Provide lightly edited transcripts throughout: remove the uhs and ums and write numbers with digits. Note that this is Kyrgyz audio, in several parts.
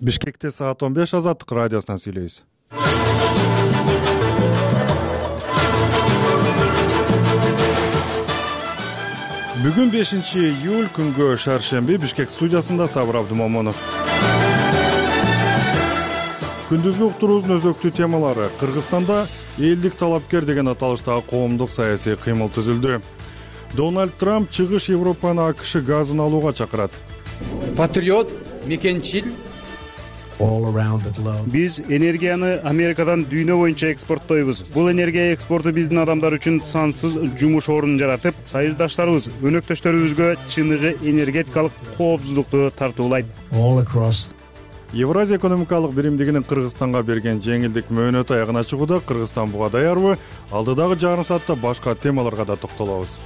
Бишкекте саат 15 Азаттык радиосунан сүйлөйбүз. Бүгүн 5-июль күнгө шаршемби Бишкек студиясында Сабыр Абдумомунов. Күндүзгү уктуруубуздун өзөктүү темалары: Кыргызстанда элдик талапкер деген аталыштагы коомдук саясий кыймыл түзүлдү. Дональд Трамп чыгыш Европаны АКШ газын алууга чакырат. Патриот, мекенчил. Биз энергияны Америкадан дүйнө боюнча экспорттойбуз. Бул энергия экспорту биздин адамдар үчүн сансыз жумуш ордун жаратып, союздаштарыбыз, өнөктөштөрүбүзгө чыныгы энергетикалык коопсуздукту тартуулайт. Евразия экономикалык биримдигинин Кыргызстанга берген жеңилдик мөөнөтү аягына чыгууда. Кыргызстан буга даярбы? Алдыдагы жарым саатта башка темаларга да токтолобуз.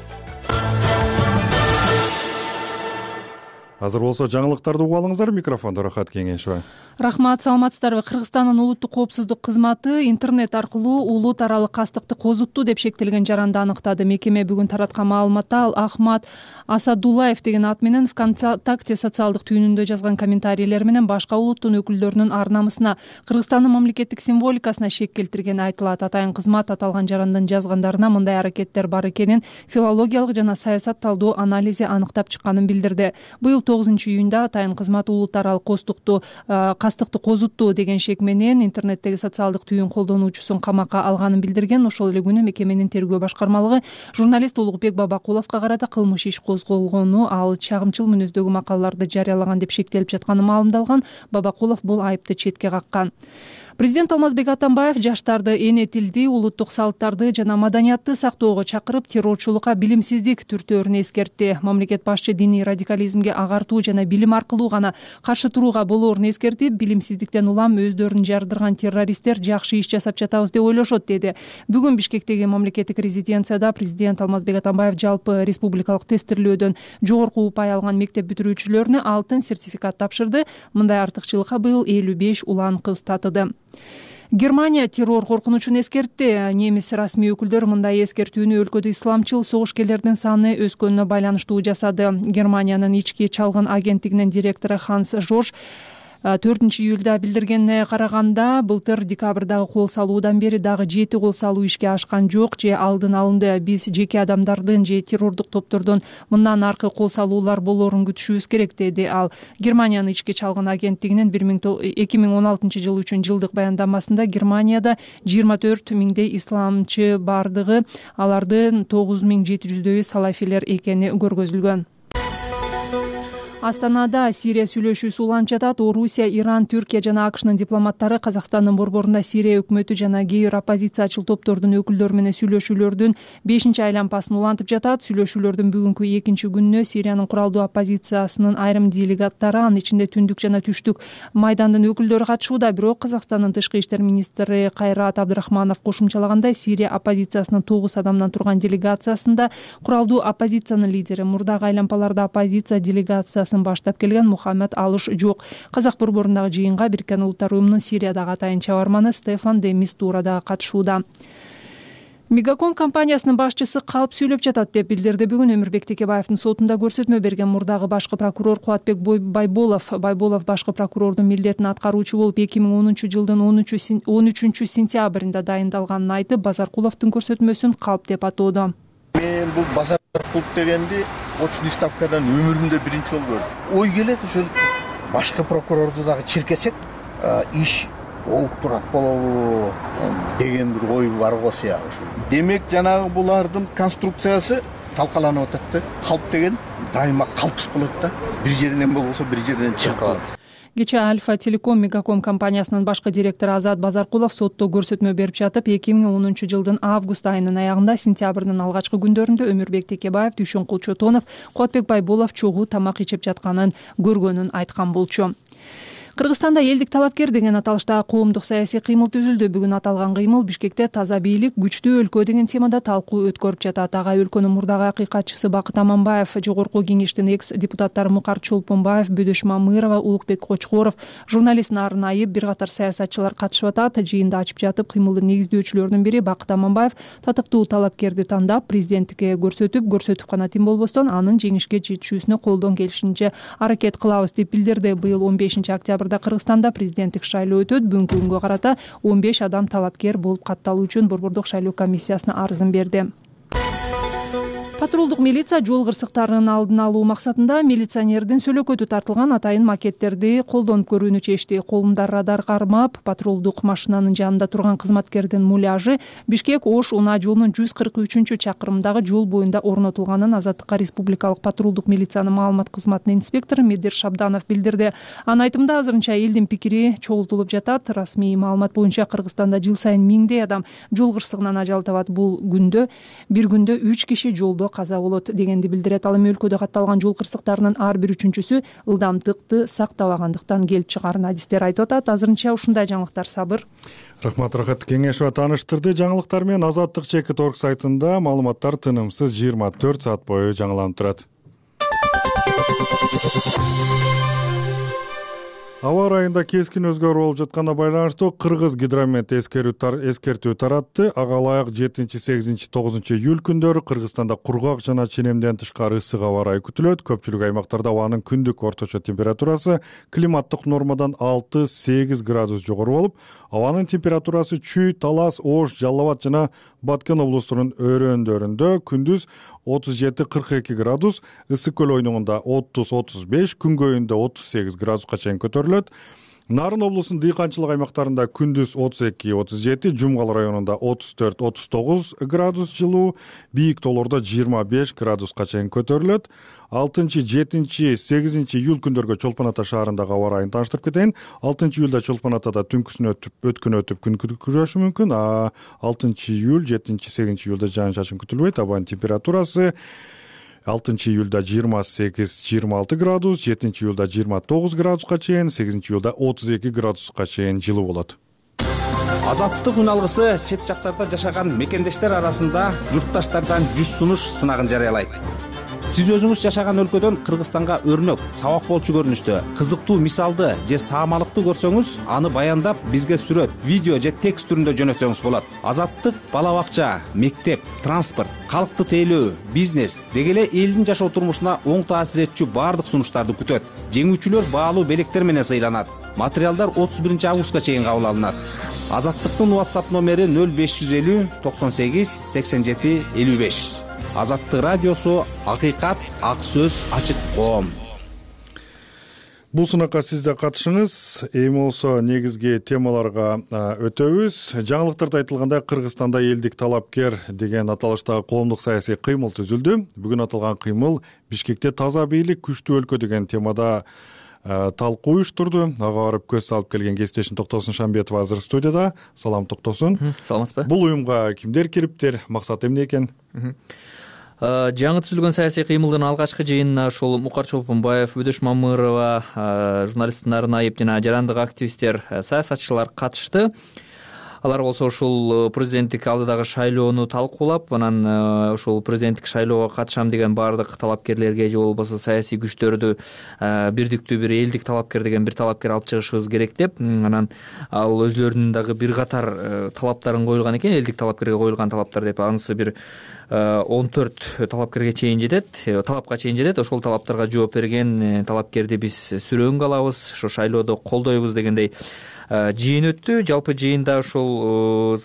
Азыр болсо жаңылыктарды угуп алыңыздар. Микрофондо Рахат Кеңешова. Рахмат, саламатсыздарбы? Кыргызстандын улуттук коопсуздук кызматы интернет аркылуу улут аралык кастыкты козутту деп шектелген жаранды аныктады. Мекеме бүгүн тараткан маалыматта ал Ахмат Асадуллаев деген ат менен ВКонтакте социалдык түйүнүндө жазган комментарийлер менен башка улуттун өкүлдөрүнүн ар намысына, Кыргызстандын мамлекеттик символикасына шек келтиргени айтылат. Атайын кызмат аталган жарандын жазгандарына мындай аракеттер бар экенин филологиялык жана саясат талдоо анализи аныктап чыкканын билдирди. Быйыл 9-июнда атайын кызмат улут аралык кастыкты козутту деген шек менен интернеттеги социалдык түйүн колдонуучусун камакка алганын билдирген. Ошол эле күнү мекеменин тергөө башкармалыгы журналист Улукбек Бабакуловго карата кылмыш иш козголгону, ал чагымчыл мүнөздөгү макалаларды жарыялаган деп шектелип жатканы маалымдалган. Бабакулов бул айыпты четке каккан. Президент Алмазбек Атамбаев жаштарды эне тилди, улуттук салттарды жана маданиятты сактоого чакырып, террорчулукка билимсиздик түртөөрүн эскертти. Мамлекет башчы диний радикализмге агартуу жана билим аркылуу гана каршы турууга болоорун эскертип, билимсиздиктен улам өздөрүн жардырган террористтер жакшы иш жасап жатабыз деп ойлошот деди. Бүгүн Бишкектеги мамлекеттик резиденцияда президент Алмазбек Атамбаев жалпы республикалык тестирлөөдөн жогорку упай алган мектеп бүтүрүүчүлөрүнө алтын сертификат тапшырды. Мындай артыкчылыкка быйыл 55 улан кыз татыды. Германия террор коркунучун эскертти. Немис расмий өкүлдөр мындай эскертүүнү өлкөдө исламчыл согушкерлердин саны өскөнүнө байланыштуу жасады. Германиянын ички чалгын агенттигинин директору Ханс Жорж 4-июлда билдиргенине караганда, былтыр декабрдагы кол салуудан бери дагы 7 кол салуу ишке ашкан жок же алдын алынды. Биз жеке адамдардын же террордук топтордон мындан аркы кол салуулар болоорун күтүшүбүз керек, деди ал. Германиянын ички чалгын агенттигинин 2016 жыл үчүн жылдык баяндамасында Германияда 24 миңдей исламчы бардыгы, алардын 9700дөйү салафилер экени көргөзүлгөн. Астанада Сирия сүйлөшүүсү уланып жатат. Орусия, Иран, Түркия жана АКШнын дипломаттары Казакстандын борборунда Сирия өкмөтү жана кээ бир оппозициячыл топтордун өкүлдөрү менен сүйлөшүүлөрдүн 5-чи айланпасын улантып жатат. Сүйлөшүүлөрдүн бүгүнкү 2-чи күнүнө Сириянын куралдуу оппозициясынын айрым делегаттары, анын ичинде түндүк жана түштүк майдандын өкүлдөрү катышууда. Бирок Казакстандын тышкы иштер министри Кайрат Абдрахманов кошумчалагандай, Сирия оппозициясынын 9 адамдан турган делегациясында куралдуу оппозициянын лидери, мурдагы айланпаларда оппозиция делегациясы баштап келген Мухаммед Алыш жок. Казак борборундагы жыйынга Бириккен Улуттар уюмунун Сириядагы атайын чабарманы Стефан де Мистура да катышууда. Мегаком компаниясынын башчысы калп сүйлөп жатат деп билдирди бүгүн Өмүрбек Текебаевдин сотунда көрсөтмө берген мурдагы башкы прокурор Кубатбек Байболов. Байболов башкы прокурордун милдетин аткаруучу болуп 2010 жылдын 13 сентябрында дайындалганын айтып, Базаркуловдун көрсөтмөсүн калп деп атоодо. Мен бул Базаркулов дегенди очный ставкадан өмүрүмдө биринчи жолу көрдүм. Ой келет, ошол башкы прокурорду дагы чиркесек, иш болуп турат болобу деген бир ой бар го сыягы. Демек, жанагы булардын конструкциясы талкаланып атат да. Калп деген дайыма калпсыз болот да. Бир жеринен болбосо бир жерден чыгып калат. Кечээ Альфа Телеком Мегаком компаниясынын башкы директору Азат Базаркулов сотто көрсөтмө берип жатып, 2010 жылдын август айынын аягында сентябрдын алгачкы күндөрүндө Өмүрбек Текебаев, Дүйшөнкул Чотонов, Кубатбек Байболов чогуу тамак ичип жатканын көргөнүн айткан болчу. Кыргызстанда элдик талапкер деген аталыштагы коомдук саясий кыймыл түзүлдү. Бүгүн аталган кыймыл Бишкекте таза бийлик, күчтүү өлкө деген темада талкуу өткөрүп жатат. Ага өлкөнүн мурдагы акыйкатчысы Бакыт Аманбаев, Жогорку кеңештин экс-депутаттары Мукар Чолпонбаев, Бөдөш Мамырова, Улукбек Кочкоров, журналист Нарын Айып, бир катар саясатчылар катышып атат. Жыйында ачып жатып, кыймылдын негиздөөчүлөрүнүн бири Бакыт Аманбаев татыктуу талапкерди тандап, президенттикке көрсөтүп гана тим болбостон, анын жеңишке жетишүүсүнө колдон келишинче аракет кылабыз деп билдирди. Быйыл 15 октябрда октябрда Кыргызстанда президенттик шайлоо өтөт. Бүгүнкү күнгө карата 15 адам талапкер болуп катталуу үчүн Борбордук шайлоо комиссиясына арызын берди. Патрулдук милиция жол кырсыктарынын алдын алуу максатында милиционердин сөөлөкөтү тартылган атайын макеттерди колдонуп көрүүнү чечти. Колунда радар кармап, патрулдук машинанын жанында турган кызматкердин муляжы Бишкек-Ош унаа жолунун 143-чакырымдагы жол боюнда орнотулганын Азаттыкка Республикалык патрулдук милициянын маалымат кызматынын инспектору Медер Шабданов билдирди. Анын айтымында азырынча элдин пикири чогултулуп жатат. Расмий маалымат боюнча Кыргызстанда жыл сайын миңдей адам жол кырсыгынан ажал табат. Бул бир күндө 3 киши жолдо каза болот дегенди билдирет. Ал эми өлкөдө катталган жол кырсыктарынын ар бир үчүнчүсү ылдамдыкты сактабагандыктан келип чыгарын адистер айтып атат. Азырынча ушундай жаңылыктар. Сабыр. Рахмат, Кеңешова тааныштырды. Жаңылыктар менен Азаттык /org сайтында маалыматтар тынымсыз 24 саат бою жаңыланып турат. Аба ырайында кескин өзгөрүү болуп жатканына байланыштуу Кыргыз гидромет эскертүү таратты. Ага ылайык 7, 8, 9 июль күндөрү Кыргызстанда кургак жана ченемден тышкары ысык аба ырайы күтүлөт. Көпчүлүк аймактарда абанын күндүк орточо температурасы климаттык нормадан 6-8 градус жогору болуп, абанын температурасы Чүй, Талас, Ош, Жалал Абад жана Баткен облустарынын өрөөндөрүндө күндүз 37-42 градус, ысык көл ойнугунда 30-35, күнгөйүндө 38 градуска чейин көтөрүлөт. Нарын облусунун дыйканчылык аймактарында күндүз 32-37, Жумгал районунда 34-39 градус жылуу, бийик тоолордо 25 градуска чейин көтөрүлөт. 6-7-8 июль күндөргө Чолпон Ата шаарындагы аба ырайын тааныштырып кетейин. 6 июлда Чолпон Атада түнкүсүн өткөн күн күрөшү мүмкүн. 6 июль, 7-8 июлда жаан-чачын күтүлбөйт. Абанын температурасы 6 июлда 28-26 градус, 7 июлда 29 градуска чейин, 8 июлда 32 градуска чейин жылуу болот. Азаттык үн алгысы чет жактарда жашаган мекендештер арасында журтташтардан 100 сунуш сынагын жарыялайт. Сиз өзүңүз жашаган өлкөдөн Кыргызстанга өрнөк, сабак болчу көрүнүштө, кызыктуу мисалды же саамалыкты көрсөңүз, аны баяндап бизге сүрөт, видео же текст түрүндө жөнөтсөңүз болот. Азаттык бала бакча, мектеп, транспорт, калкты тейлөө, бизнес деги эле элдин жашоо турмушуна оң таасир этчү баардык сунуштарды күтөт. Жеңүүчүлөр баалуу белектер менен сыйланат. Материалдар 31 августка чейин кабыл алынат. Азаттыктын WhatsApp номери 0550 98 87 55. Азаттык радиосу, акыйкат, ак сөз, ачык коом. Бул сунакка сиз да катышыңыз. Эми болсо негизги темаларга өтөбүз. Жаңылыктарда айтылгандай, Кыргызстанда элдик талапкер деген аталыштагы коомдук саясий кыймыл түзүлдү. Бүгүн аталган кыймыл Бишкекте таза бийлик, күчтүү өлкө деген темада талкуу уюштурду. Ага барып көз салып келген кесиптешим Токтосун Шамбетова азыр студияда. Салам, Токтосун. Саламатсызбы? Бул уюмга кимдер кириптир? Максаты эмне экен? Жаңы түзүлгөн саясий кыймылдын алгачкы жыйынына ошол Мукар Чолпонбаев, Өдөш Мамырова, журналист Нарынаев жана жарандык активисттер, саясатчылар катышты. Алар болсо ушул президенттик алдыдагы шайлоону талкуулап, анан ушул президенттик шайлоого катышам деген баардык талапкерлерге же болбосо саясий күчтөрдү бирдиктүү бир элдик талапкер деген бир талапкер алып чыгышыбыз керек деп, анан ал өзлөрүнүн дагы бир катар талаптарын коюлган экен, элдик талапкерге коюлган талаптар деп. Анысы бир 14 талапкерге чейин жетет, талапка чейин жетет. Ошол талаптарга жооп берген талапкерди биз сүрөөнгө алабыз, ошо шайлоодо колдойбуз дегендей жыйын өттү. Жалпы жыйында ошол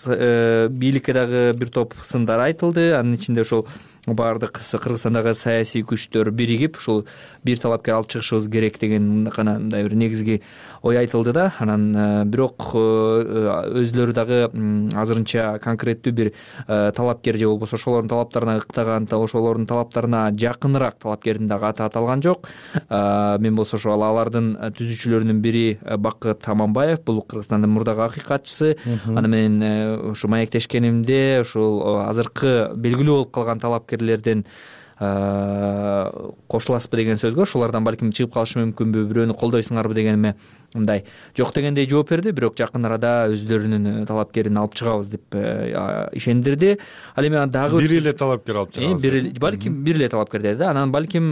бийликке дагы бир топ сындар айтылды. Анын ичинде ошол баардык Кыргызстандагы саясий күчтөр биригип ушул бир талапкер алып чыгышыбыз керек деген гана мындай бир негизги ой айтылды да. Анан бирок өзлөрү дагы азырынча конкреттүү бир талапкер же болбосо ошолордун талаптарына ыктаган, ошолордун талаптарына жакыныраак талапкердин дагы аты аталган жок. Мен болсо ошол алардын түзүүчүлөрүнүн бири Бакыт Аманбаев, бул Кыргызстандын мурдагы акыйкатчысы. Аны менен ушу маектешкенимде ушул азыркы белгилүү болуп калган талапкерлерден кошуласызбы деген сөзгө, ошолордон балким чыгып калышы мүмкүнбү, бирөөнү колдойсуңарбы дегениме мындай жок дегендей жооп берди. Бирок жакын арада өздөрүнүн талапкерин алып чыгабыз деп ишендирди. Ал эми дагы бир эле талапкер алып чыгабыз. Балким бир эле талапкер деди да. Анан балким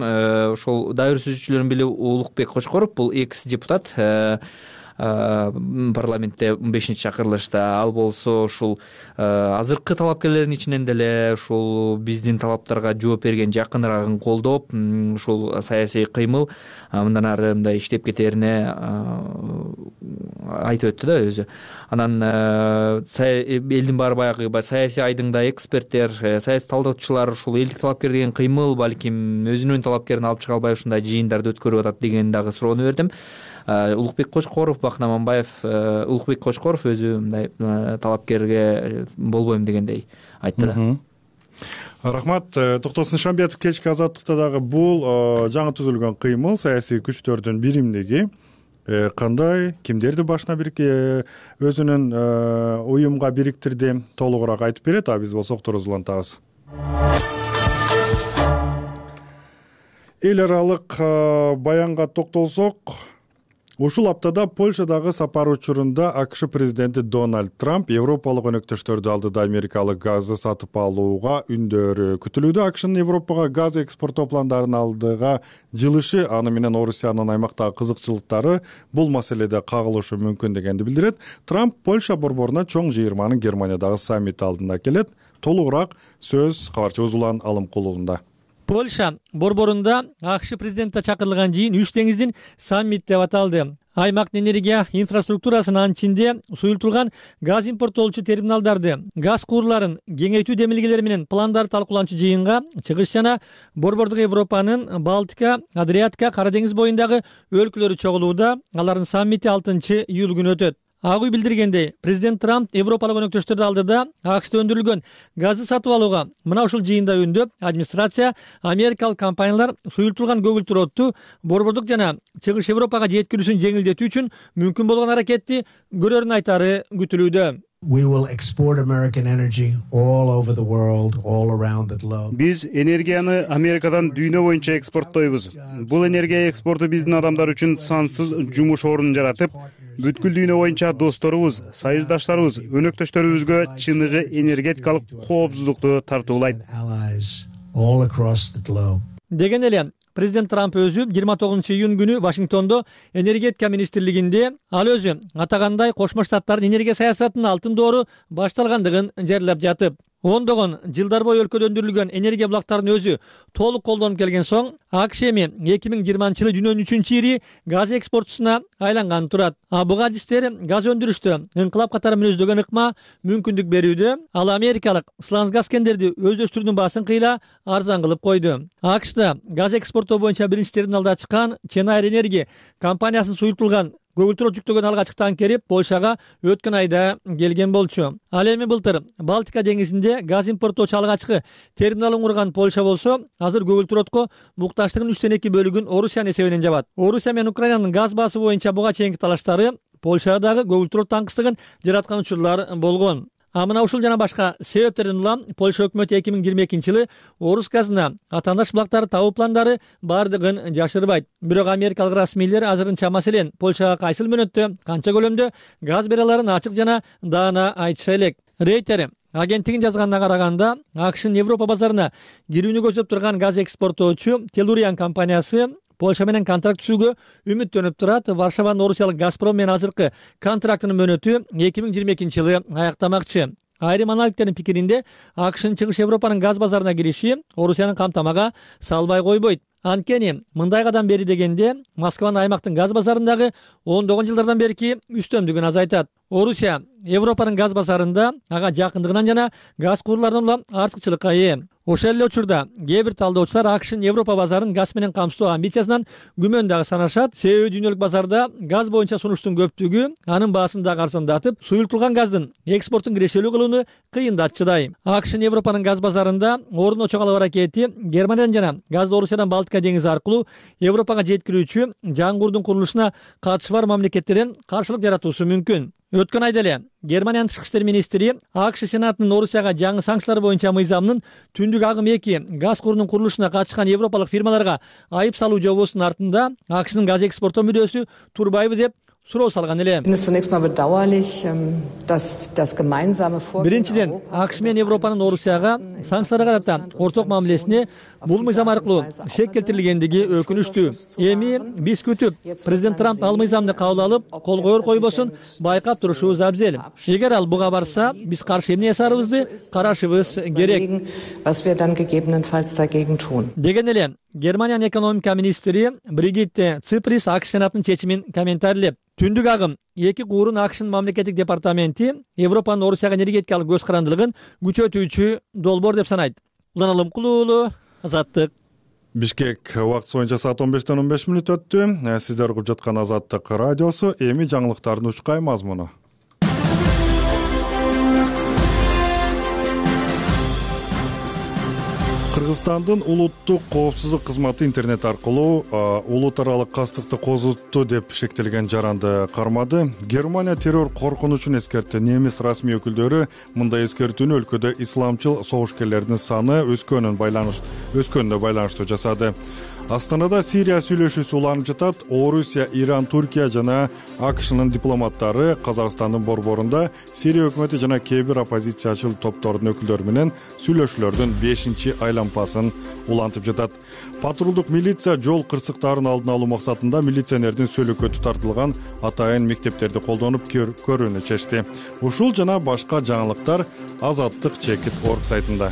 ошол дайыр түзүүчүлөрдүн бири Улукбек Кочкоров, бул экс депутат, парламентте 15 чакырылышта. Ал болсо ушул азыркы талапкерлердин ичинен деле ушул биздин талаптарга жооп берген, жакыныраагын колдоп, ушул саясий кыймыл мындан ары мындай иштеп кетерине айтып өттү да өзү. Анан элдин баары баягы саясий айдыңда эксперттер, саясий талдаочулар ушул элдик талапкер деген кыймыл балким өзүнүн талапкерин алып чыга албай ушундай жыйындарды өткөрүп атат деген дагы суроону бердим. Улукбек Кочкоров, Бакын Аманбаев, Улукбек Кочкоров өзү мындай талапкерге болбойм дегендей айтты да. Рахмат. Токтосун Шамбетов кечки азаттыкта дагы бул жаңы түзүлгөн кыймыл, саясий күчтөрдүн биримдиги кандай, кимдерди башына өзүнүн уюмга бириктирди, толугураак айтып берет. Биз болсок турузулуп улантабыз. Эл аралык баянга токтолсок, ушул аптада Польшадагы сапар учурунда АКШ президенти Дональд Трамп европалык өнөктөштөрдү алдыда америкалык газды сатып алууга үндөрү күтүлүүдө. АКШнын Европага газ экспорттоо пландарын алдыга жылышы, аны менен Орусиянын аймактагы кызыкчылыктары бул маселеде кагылышы мүмкүн дегенди билдирет. Трамп Польша борборуна чоң жыйырманын Германиядагы саммити алдында келет. Толугураак сөз кабарчыбыз Улан Алымкулулунда. Польша борборунда АКШ президенти чакырылган жыйын Үч деңиздин саммити деп аталды. Аймактын энергия инфраструктурасынын ичинде суюлтулган газ импорттоочу терминалдарды, газ куурларын кеңейтүү демилгелери менен пландарды талкууланчу жыйынга чыгыш жана борбордук Европанын Балтика, Адриатика, Кара деңиз боюндагы өлкөлөрү чогулууда. Алардын саммити 6-июль күнү өтөт. Ак үй билдиргендей, президент Трамп европалык өнөктөштөрдү алдыда АКШда өндүрүлгөн газды сатып алууга мына ушул жыйында үндөп, администрация америкалык компаниялар суюлтулган көгүлтүр отту борбордук жана чыгыш Европага жеткирүүсүн жеңилдетүү үчүн мүмкүн болгон аракетти көрөрүн айтары күтүлүүдө. Биз энергияны Америкадан дүйнө боюнча экспорттойбуз. Бул энергия экспорту биздин адамдар үчүн сансыз жумуш ордун жаратып, бүткүл дүйнө боюнча досторубуз, союздаштарыбыз, өнөктөштөрүбүзгө чыныгы энергетикалык коопсуздукту тартуулайт. Деген эле президент Трамп өзү 29-июнь күнү Вашингтондо энергетика министрлигинде ал өзү атагандай Кошмо Штаттардын энергия саясатынын алтын доору башталгандыгын жерлеп жатып, ондогон жылдар бою өлкөдө өндүрүлгөн энергия булактарын өзү толук колдонуп келген соң, АКШ эми 2020-жылы дүйнөнүн 3-үчү ири газ экспортчусуна айланганы турат. Буга адистер газ өндүрүштө ыңкылап катары мүнөздөгөн ыкма мүмкүндүк берүүдө. Ал америкалык сланцгаз кендерди өздөштүрүүнүн баасын кыйла арзан кылып койду. АКШда газ экспорттоо боюнча биринчи терминалды ачкан Ченайр Энерги компаниясынын суюлтулган көгүлтүр жүктөгөн алгачкы танкери Польшага өткөн айда келген болчу. Ал эми былтыр Балтика деңизинде газ импорттоочу алгачкы терминалын курган Польша болсо, азыр көгүлтүр отко мукташтыгынын 3/2 бөлүгүн Орусиянын эсебинен жабат. Орусия менен Украинанын газ баасы боюнча буга чейинки талаштары Польшадагы көгүлтүр от таңкыстыгын жараткан учурлар болгон. Мына ушул жана башка себептерден улам Польша өкмөтү 2022-жылы Орус газына атаандаш булактарды табуу пландары бардыгын жашырбайт. Бирок америкалык расмийлер азырынча маселен Польшага кайсыл мөөнөттө, канча көлөмдө газ бере аларын ачык жана даана айтыша элек. Рейтер агенттигин жазганына караганда, АКШнын Европа базарына кирүүнү көздөп турган газ экспорттоочу Телуриан компаниясы Польша менен контракт түзүүгө үмүттөнүп турат. Варшаванын орусиялык Газпром менен азыркы контрактынын мөөнөтү 2022-жылы аяктамакчы. Айрым аналитиктердин пикиринде, АКШнын чыгыш Европанын газ базарына кириши Орусияны камтамага салбай койбойт. Анткени мындай кадам бери дегенде Москванын аймактын газ базарындагы ондогон жылдардан берки үстөмдүгүн азайтат. Орусия Европанын газ базарында ага жакындыгынан жана газ куурларынан улам артыкчылыкка ээ. Ошол эле учурда кээ бир талдоочулар АКШнын Европа базарын газ менен камсыздоо амбициясынан күмөн дагы санашат. Себеби дүйнөлүк базарда газ боюнча сунуштун көптүгү анын баасын дагы арзандатып, суюлтулган газдын экспортун кирешелүү кылууну кыйындатчыдай. АКШнын Европанын газ базарында орун очо калуу аракети Германиядан жана газды Орусиядан Балтика деңизи аркылуу Европага жеткирүүчү жаңгурдун курулушуна катышы бар мамлекеттерден каршылык жаратуусу мүмкүн. Өткөн айда эле Германиянын тышкы иштер министри АКШ Сенатынын Орусияга жаңы санкциялар боюнча мыйзамынын түндүк агым 2 газ курунун курулушуна катышкан европалык фирмаларга айып салуу жобосунун артында АКШнын газ экспорттоо мүдөөсү турбайбы деп суроо салган эле. Биринчиден, АКШ менен Европанын Орусияга санкцияларга карата орток мамилесине бул мыйзам аркылуу шек келтирилгендиги өкүнүчтүү. Эми биз күтүп, президент Трамп ал мыйзамды кабыл алып, кол коер койбосун байкап турушубуз абзел. Эгер ал буга барса, биз каршы эмне жасарыбызды карашыбыз керек. Деген эле Германиянын экономика министри Бригитте Циприс АКШ сенатынын чечимин комментарийлеп, түндүк агым 2 куурун АКШнын мамлекеттик департаменти Европанын Орусияга энергетикалык көз карандылыгын күчөтүүчү долбоор деп санайт. Улан Алымкулуу уулу, Азаттык. Бишкек убактысы боюнча саат 15:15 өттү. Сиздер угуп жаткан Азаттык радиосу. Эми жаңылыктардын учкай мазмуну. Кыргызстандын улуттук коопсуздук кызматы интернет аркылуу улут аралык кастыкты козутту деп шектелген жаранды кармады. Германия террор коркунучун эскертти. Немис расмий өкүлдөрү мындай эскертүүнү өлкөдө исламчыл согушкерлердин саны өскөнүнө байланыштуу жасады. Астанада Сирия сүйлөшүүсү уланып жатат. Орусия, Иран, Туркия жана АКШнын дипломаттары Казакстандын борборунда Сирия өкмөтү жана кээ бир оппозициячыл топтордун өкүлдөрү менен сүйлөшүүлөрдүн 5-чи айланпасын улантып жатат. Патрулдук милиция жол кырсыктарын алдын алуу максатында милиционердин сөөлөкөтү тартылган атайын мектептерди колдонуп көрүүнү чечти. Ушул жана башка жаңылыктар Азаттык чекит орг сайтында.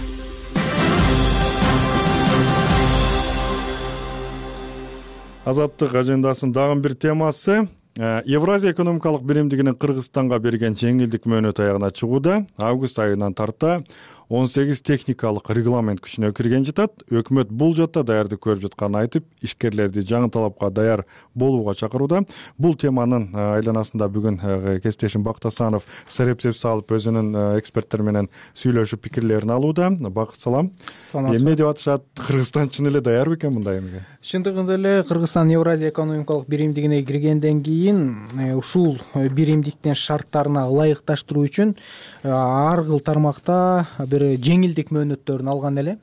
Азаттык ажендасынын дагы бир темасы Евразия экономикалык биримдигинин Кыргызстанга берген жеңилдик мөөнөт аягына чыгууда. Август айынан тарта 18 техникалык регламент күчүнө кирген жатат. Өкмөт бул жакта даярдык көрүп жатканын айтып, ишкерлерди жаңы талапка даяр болууга чакырууда. Бул теманын айланасында бүгүн кесиптешим Бакыт Асанов сарепсеп салып өзүнүн эксперттер менен сүйлөшүп пикирлерин алууда. Бакыт, салам. Эмне деп атышат? Кыргызстан чын эле даярбы экен мындай эмеге? Чындыгында эле Кыргызстан Евразия экономикалык биримдигине киргенден кийин ушул биримдиктин шарттарына ылайыкташтыруу үчүн ар кыл тармакта бир жеңилдик мөөнөттөрүн алган эле.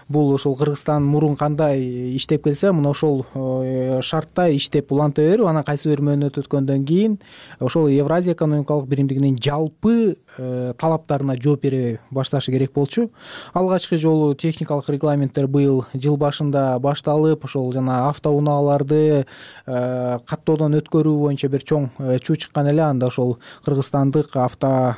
Бул ошол Кыргызстан мурун кандай иштеп келсе, мына ошол шартта иштеп уланта берип, анан кайсы бир мөөнөт өткөндөн кийин ошол Евразия экономикалык биримдигинин жалпы талаптарына жооп бере башташы керек болчу. Алгачкы жолу техникалык регламенттер быйыл жыл башында башталып, ошол жана автоунааларды каттоодон өткөрүү боюнча бир чоң чуу чыккан эле. Анда ошол кыргызстандык авто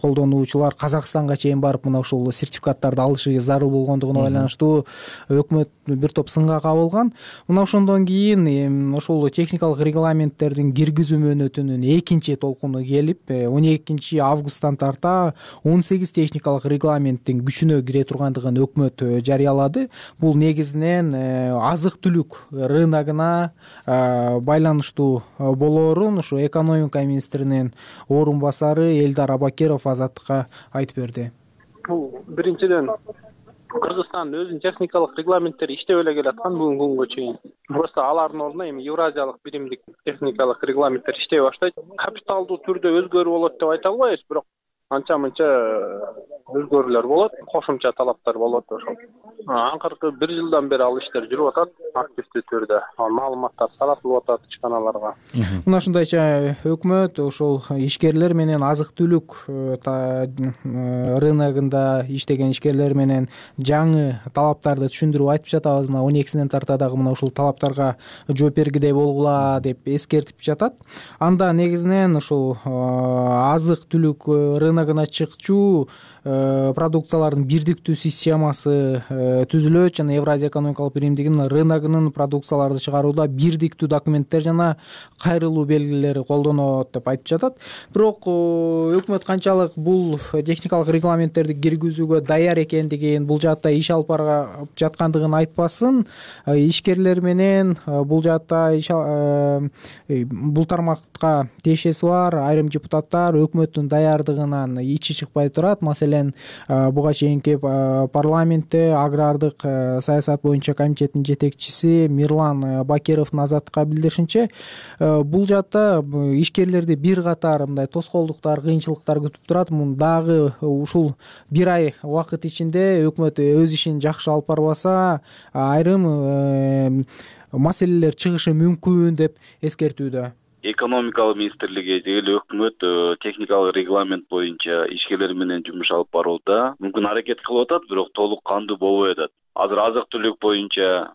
колдонуучулар Казакстанга чейин барып, мына ушул сертификаттарды алышы зарыл болгондугуна байланыштуу өкмөт бир топ сынга кабылган. Мына ошондон кийин ошол техникалык регламенттердин киргизүү мөөнөтүнүн экинчи толкуну келип, 12 августтан тарта 18 техникалык регламенттин күчүнө кире тургандыгын өкмөт жарыялады. Бул негизинен азык-түлүк рыногуна байланыштуу болоорун ушу экономика министринин орун басары Элдар Абакиров Азаттыкка айтып берди. Бул биринчиден Кыргызстан өзүнүн техникалык регламенттери иштеп эле келаткан бүгүнкү күнгө чейин. Просто алардын ордуна эми Евразиялык биримдик техникалык регламенттер иштей баштайт. Капиталдуу түрдө өзгөрүү болот деп айта албайбыз, бирок анча-мынча өзгөрүүлөр болот, кошумча талаптар болот ошол. Акыркы 1 жылдан бери ал иштер жүрүп атат активдүү түрдө. Маалыматтар таратылып атат ишканаларга. Мына ушундайча өкмөт ошол ишкерлер менен азык-түлүк рыногунда иштеген ишкерлер менен жаңы талаптарды түшүндүрүп айтып жатабыз. Мына 12-синен тарта дагы мына ушул талаптарга жооп бергидей болгула деп эскертип жатат. Анда негизинен ушул азык-түлүк рыногуна чыкчу продукциялардын бирдиктүү системасы түзүлөт жана Евразия экономикалык биримдигинин рыногунун продукцияларды чыгарууда бирдиктүү документтер жана кайрылуу белгилери колдонот деп айтып жатат. Бирок өкмөт канчалык бул техникалык регламенттерди киргизүүгө даяр экендигин, бул жаатта иш алып барып жаткандыгын айтпасын, ишкерлер менен бул жаатта бул тармакка тиешеси бар айрым депутаттар өкмөттүн даярдыгынан ичи чыкпай турат. Маселен, буга чейинки парламентте агрардык саясат боюнча комитеттин жетекчиси Мирлан Бакировдун Азаттыкка билдиришинче, бул жаатта ишкерлерди бир катар мындай тоскоолдуктар, кыйынчылыктар күтүп турат. Дагы ушул 1 ай убакыт ичинде өкмөт өз ишин жакшы алып барбаса, айрым маселелер чыгышы мүмкүн деп эскертүүдө. экономикалык министрлиги же эле өкмөт техникалык регламент боюнча ишкерлер менен жумуш алып барууда мүмкүн аракет кылып атат, бирок толук кандуу болбой атат. Азыр азык-түлүк боюнча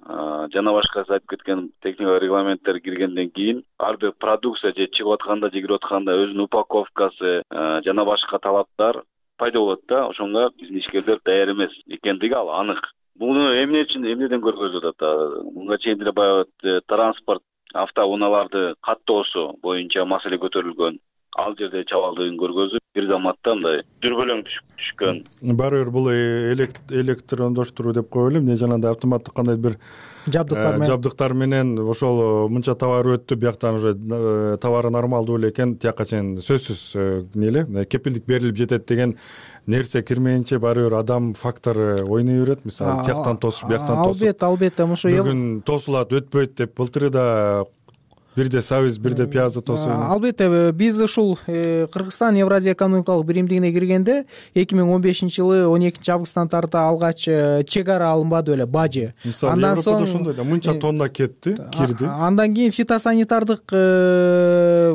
жана башка айтып кеткен техникалык регламенттер киргенден кийин ар бир продукция же чыгып атканда же кирип атканда өзүнүн упаковкасы жана башка талаптар пайда болот да. Ошонго биздин ишкерлер даяр эмес экендиги ал анык. Буну эмнеден көргөзүп атат? Мунга чейин деле баягы транспорт автоунааларды каттоосу боюнча маселе көтөрүлгөн. Ал жерде чабалдыгын көргөзүп, бир заматта мындай дүрбөлөң түшкөн. Баары бир бул электрондоштуруу деп коелу, эмне жанагындай автоматтык кандай бир жабдыктар менен ошол мынча товар өттү, бияктан уже товары нормалдуу эле экен, тияка чейин сөзсүз кепилдик берилип жетет деген нерсе кирмейинче баары бир адам фактору ойной берет. Мисалы, тияктан тосуп, бияктан тосуп. Албетте, ошо бүгүн тосулат, өтпөйт деп былтыры да бирде сабиз, бирде пиязды тосуп. Албетте, биз ушул Кыргызстан Евразия экономикалык биримдигине киргенде 2015-жылы 12-августтан тарта алгач чек ара алынбады беле, бажы. Андан соң ошондой да мынча тонна кирди. Андан кийин фитосанитардык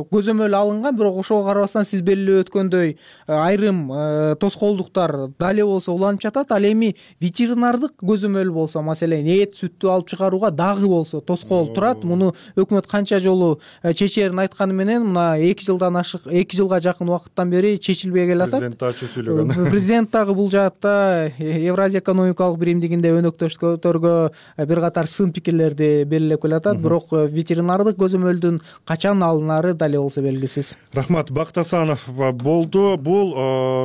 көзөмөл алынган, бирок ошого карабастан сиз белгилеп өткөндөй айрым тоскоолдуктар дале болсо уланып жатат. Ал эми ветеринардык көзөмөл болсо, маселен, эт, сүттү алып чыгарууга дагы болсо тоскоол турат. Муну өкмөт канча жолу чечерин айтканы менен мына 2 жылга жакын убакыттан бери чечилбей келатат. Президент ачуу сүйлөгөн. Президент дагы бул жаатта Евразия экономикалык биримдигинде өнөктөштөргө бир катар сын пикирлерди белгилеп келатат, бирок ветеринардык көзөмөлдүн качан алынары дале болсо белгисиз. Рахмат. Бактасанов болду. Бул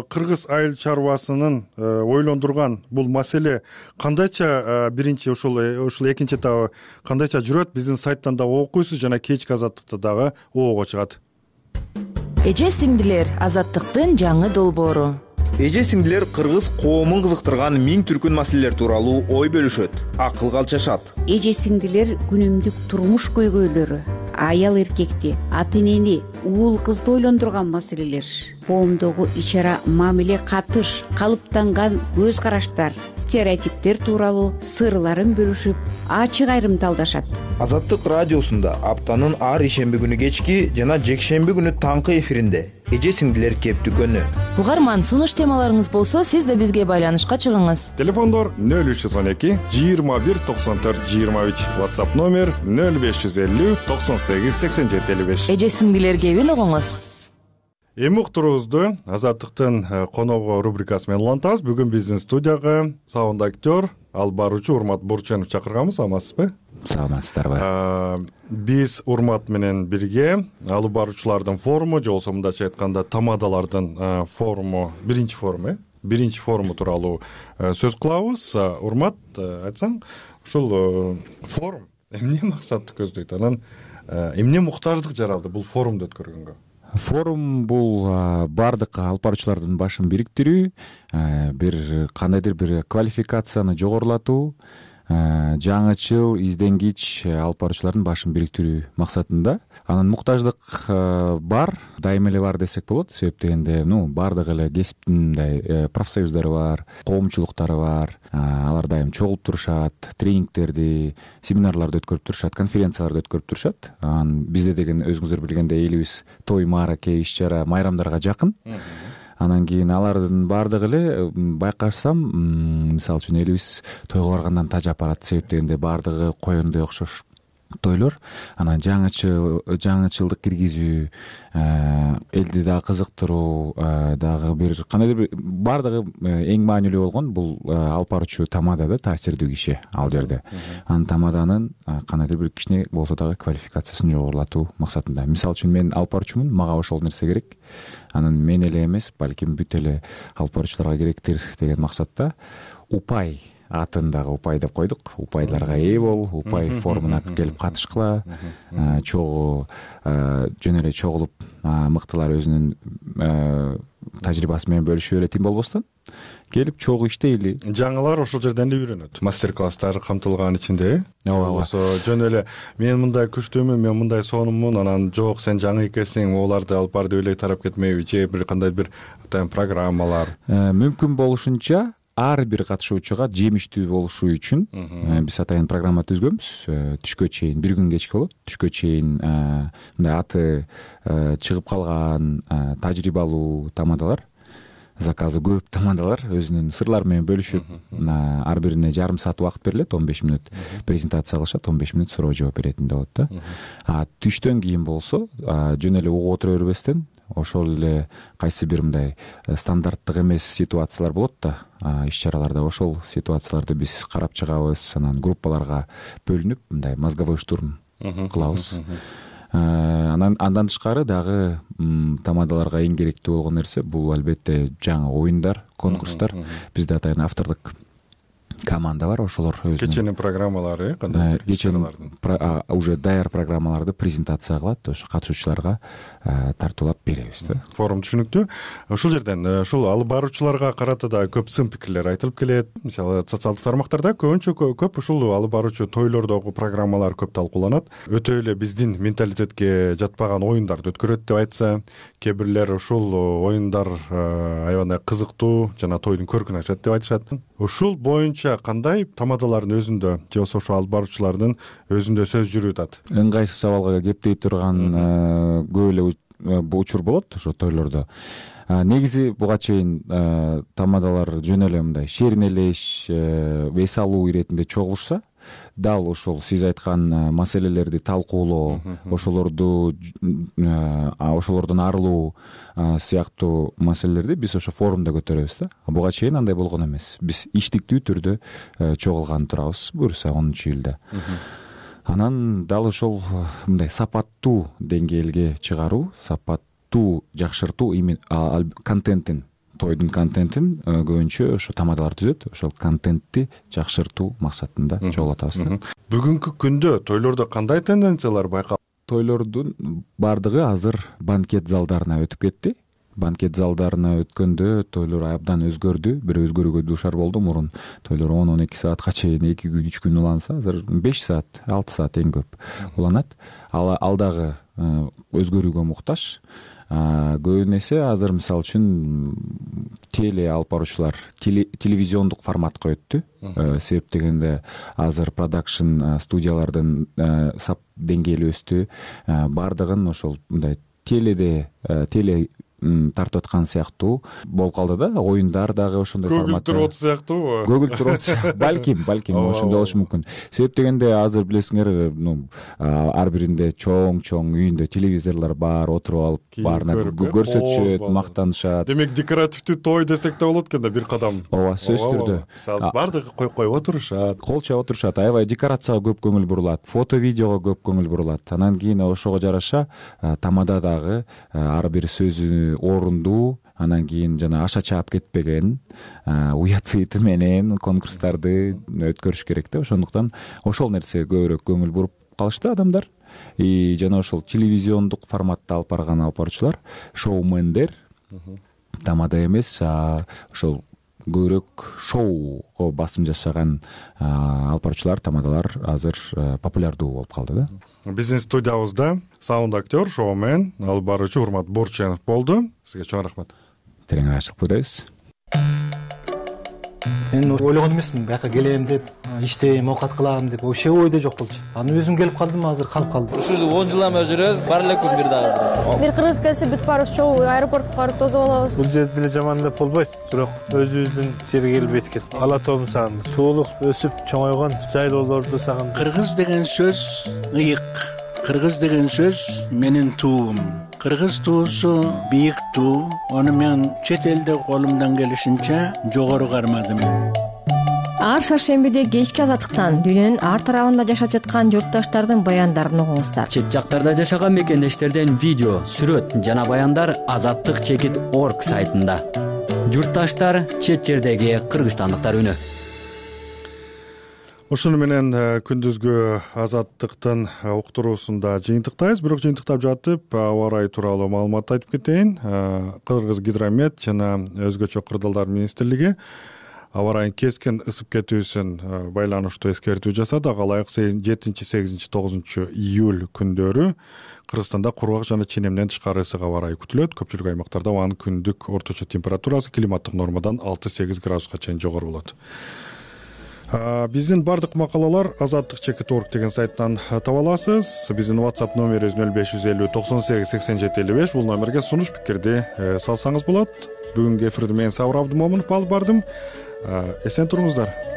кыргыз айыл чарбасынын ойлондурган бул маселе кандайча биринчи ушул экинчи этабы кандайча жүрөт? Биздин сайттан да окуйсуз жана кечки азаттыкта дагы оого чыгат. Эже сиңдилер, азаттыктын жаңы долбоору. Эже сиңдилер кыргыз коомун кызыктырган миң түркүн маселелер тууралуу ой бөлүшөт, акыл калчашат. Эже сиңдилер күнүмдүк турмуш көйгөйлөрү, аял эркекти, ата энени, уул кызды ойлондурган маселелер, коомдогу ич-ара мамиле катыш, калыптанган көз караштар, стереотиптер тууралуу сырларын бөлүшүп, ачык айрымдалдашат. Азаттык радиосунда аптанын ар ишемби күнү кечки жана жекшемби күнү таңкы эфиринде эже сиңдилер кептүкөнү. Угарман, сунуш темаларыңыз болсо, сиз да бизге байланышка чыгыңыз. Телефондор 0312 21 94 23, WhatsApp номер 0550 98 87 55. Эже сиңдилер кебин угуңуз. Эми уктуруубузду Азаттыктын коногу рубрикасы менен улантабыз. Бүгүн биздин студияга саунд актер, алып баруучу Урмат Бурченов чакырганбыз. Саламатсызбы? Саламатсыздарбы. Биз Урмат менен бирге алып баруучулардын форуму же болбосо мындайча айтканда тамадалардын форуму, биринчи форуму тууралуу сөз кылабыз. Урмат, айтсаң, ушул форум эмне максатты көздөйт? Анан эмне муктаждык жаралды бул форумду өткөргөнгө? Форум бул бардык алып баруучулардын башын бириктирүү, бир кандайдыр бир квалификацияны жогорулатуу, жаңычыл, изденгич алып баруучулардын башын бириктирүү максатында. Анын муктаждык бар, дайыма эле бар десек болот. Себеп дегенде, бардык эле кесиптин мындай профсоюздары бар, коомчулуктары бар. Алар дайым чогулуп турушат, тренингтерди, семинарларды өткөрүп турушат, конференцияларды өткөрүп турушат. Бизде деген өзүңүздөр билгендей элибиз той, маараке, иш-чара, майрамдарга жакын. Анан кийин алардын бардыгы эле байкашсам, мисалы үчүн элибиз тойго баргандан тажап барат. Себеп дегенде бардыгы коендой окшош тойлор. Анан жаңычылдык киргизүү, элди дагы кызыктыруу, дагы бир кандайдыр бир бардыгы эң маанилүү болгон бул алып баруучу тамада да таасирдүү киши ал жерде. Анан тамаданын кандайдыр бир кичине болсо дагы квалификациясын жогорулатуу максатында. Мисалы үчүн мен алып баруучумун, мага ошол нерсе керек. Анан мен эле эмес, балким бүт эле алып баруучуларга керектир деген максатта упай атын дагы упай деп койдук. Упайларга ээ бол, упай форумуна келип катышкыла, чогуу жөн эле чогулуп мыктылар өзүнүн тажрыйбасы менен бөлүшүп эле тим болбостон келип чогуу иштейли. Жаңылар ошол жерден эле үйрөнөт. Мастер-класстар камтылган ичинде. Ооба. Жөн эле мен мындай күчтүүмүн, мен мындай сонуммун, анан жок сен жаңы экенсиң, оларды алып бар деп эле тарап кетмейби, же бир кандай бир программалар. Мүмкүн болушунча ар бир катышуучуга жемиштүү болушу үчүн биз атайын программа түзгөнбүз. Түшкө чейин, бир күн кечки болот, түшкө чейин мындай аты чыгып калган тажрыйбалуу тамадалар, заказы көп тамадалар өзүнүн сырлары менен бөлүшүп, ар бирине жарым саат убакыт берилет, 15 мүнөт презентация кылышат, 15 мүнөт суроо жооп беретиндей болот да. Түштөн кийин болсо жөн эле угуп отура бербестен ошол эле кайсы бир мындай стандарттык эмес ситуациялар болот да, иш чараларда, ошол ситуацияларды биз карап чыгабыз, анан группаларга бөлүнүп мындай мозговой штурм кылабыз. Андан тышкары дагы тамадаларга эң керектүү болгон нерсе бул албетте жаңы оюндар, конкурстар. Бизде атайын автордук команда бар, ошолор өзүнүн кеченин программалары, кандай кеченин уже даяр программаларды презентация кылат, ошо катышуучуларга тартуулап беребиз да. Форум түшүнүктүү. Ушул жерден ушул алып баруучуларга карата да көп сын пикирлер айтылып келет. Мисалы социалдык тармактарда көбүнчө көп ушул алып баруучу тойлордогу программалар көп талкууланат. Өтө эле биздин менталитетке жатпаган оюндарды өткөрөт деп айтса, кээ бирлер ушул оюндар аябагандай кызыктуу жана тойдун көркүн ачат деп айтышат. Ушул боюнча кандай тамадалардын өзүндө же болбосо ошо алып баруучулардын өзүндө сөз жүрүп атат? Ыңгайсыз сабалга кептей турган көп эле учур болот ошо тойлордо. Негизи буга чейин тамадалар жөн эле мындай шеринелеш, эс алуу иретинде чогулушса, дал ошол сиз айткан маселелерди талкуулоо, ошолордон арылуу сыяктуу маселелерди биз ошо форумда көтөрөбүз да. Буга чейин андай болгон эмес. Биз иштиктүү түрдө чогулган турабыз буюрса 10-июлда. Анан дал ошол мындай сапаттуу деңгээлге чыгаруу, сапаттуу жакшыртуу контентин, тойдун контентин көбүнчө ошо тамадалар түзөт. Ошол контентти жакшыртуу максатында чогулуп атабыз да. Бүгүнкү күндө тойлордо кандай тенденциялар байкалат? Тойлордун бардыгы азыр банкет залдарына өтүп кетти. Банкет залдарына өткөндө тойлор абдан өзгөрдү. Бир өзгөрүүгө дуушар болду. Мурун тойлор 10-12 саатка чейин 2 күн 3 күн уланса, азыр 5 саат, 6 саат эң көп уланат. Ал дагы өзгөрүүгө муктаж. Көбүн эсе азыр мисалы үчүн теле алып баруучулар телевизиондук форматка өттү. Себеп дегенде азыр продакшн студиялардын сап деңгээли өстү. Бардыгын ошол мындай теле тартып аткан сыяктуу болуп калды да. Оюндар дагы ошондой форматта. Көгүл сыяктуу. Көгүл турот балким ошондой болушу мүмкүн. Себеп дегенде азыр билесиңер, ар биринде чоң үйүндө телевизорлор бар, отуруп алып баарына көрсөтүшөт, мактанышат. Демек декоративдүү той десек да болот экен да, бир кадам. Ооба, сөзсүз түрдө. Мисалы бардыгы коюп отурушат. Кол чаап отурушат, аябай декорацияга көп көңүл бурулат, фото видеого көп көңүл бурулат. Анан кийин ошого жараша тамада дагы ар бир сөзү орундуу, анан кийин жана аша чаап кетпеген, уят сыйты менен конкурстарды өткөрүш керек да. Ошондуктан ошол нерсе көбүрөөк көңүл буруп калышты адамдар. Жана ошол телевизиондук форматта алып барган алып баруучулар, шоумендер тамада эмес, ошол көбүрөөк шоуго басым жасаган алып баруучулар, тамадалар азыр популярдуу болуп калды да. Биздин студиябызда саунд актер, шоумен, алып баруучу Урмат Борченов болду. Сизге чоң рахмат. Терең ырайчылык билдиребиз. Мен ойлогон эмесмин, бияка келем деп, иштейм, оокат кылам деп, вообще ойдо жок болчу. Анан өзүм келип калдым, азыр калып калдым. Ушул 10 жылдан бери жүрөбүз, бар эле күн бир дагы. Бир кыргыз келсе бүт барыбыз чогуу аэропортко барып тосуп алабыз. Бул жерде деле жаман деп болбойт, бирок өзүбүздүн жерге келип эткен. Ала тоомду сагындым. Туулуп, өсүп, чоңойгон жайлоолорду сагындым. Кыргыз деген сөз ыйык. Кыргыз деген сөз менин туум. Кыргыз туусу бийик туу. Аны мен чет элде колумдан келишинче жогору кармадым. Ар шаршембиде кечки азаттыктан дүйнөнүн ар тарабында жашап жаткан журтташтардын баяндарын угуңуздар. Чет жактарда жашаган мекендештерден видео, сүрөт жана баяндар azattik.org сайтында. Журтташтар, чет жердеги кыргызстандыктар үнү. Ушуну менен күндүзгү азаттыктын уктуруусунда жыйынтыктайбыз. Бирок жыйынтыктап жатып, аба ырайы тууралуу маалымат айтып кетейин. Кыргыз гидромет жана өзгөчө кырдаалдар министрлиги аба ырайынын кескен ысып кетүүсүн байланыштуу эскертүү жасады. Ага ылайык 7-8-9 июль күндөрү Кыргызстанда кургак жана ченемден тышкары ысык аба ырайы күтүлөт. Көпчүлүк аймактарда абанын күндүк орточо температурасы климаттык нормадан 6-8 градуска чейин жогору болот. Биздин бардык макалалар azattik.org деген сайттан таба аласыз. Биздин WhatsApp номерибиз 0550 98 87 55. Бул номерге сунуш пикирди салсаңыз болот. Бүгүнкү эфирди мен Сабыр Абдымомунов алып бардым. Эсен туруңуздар.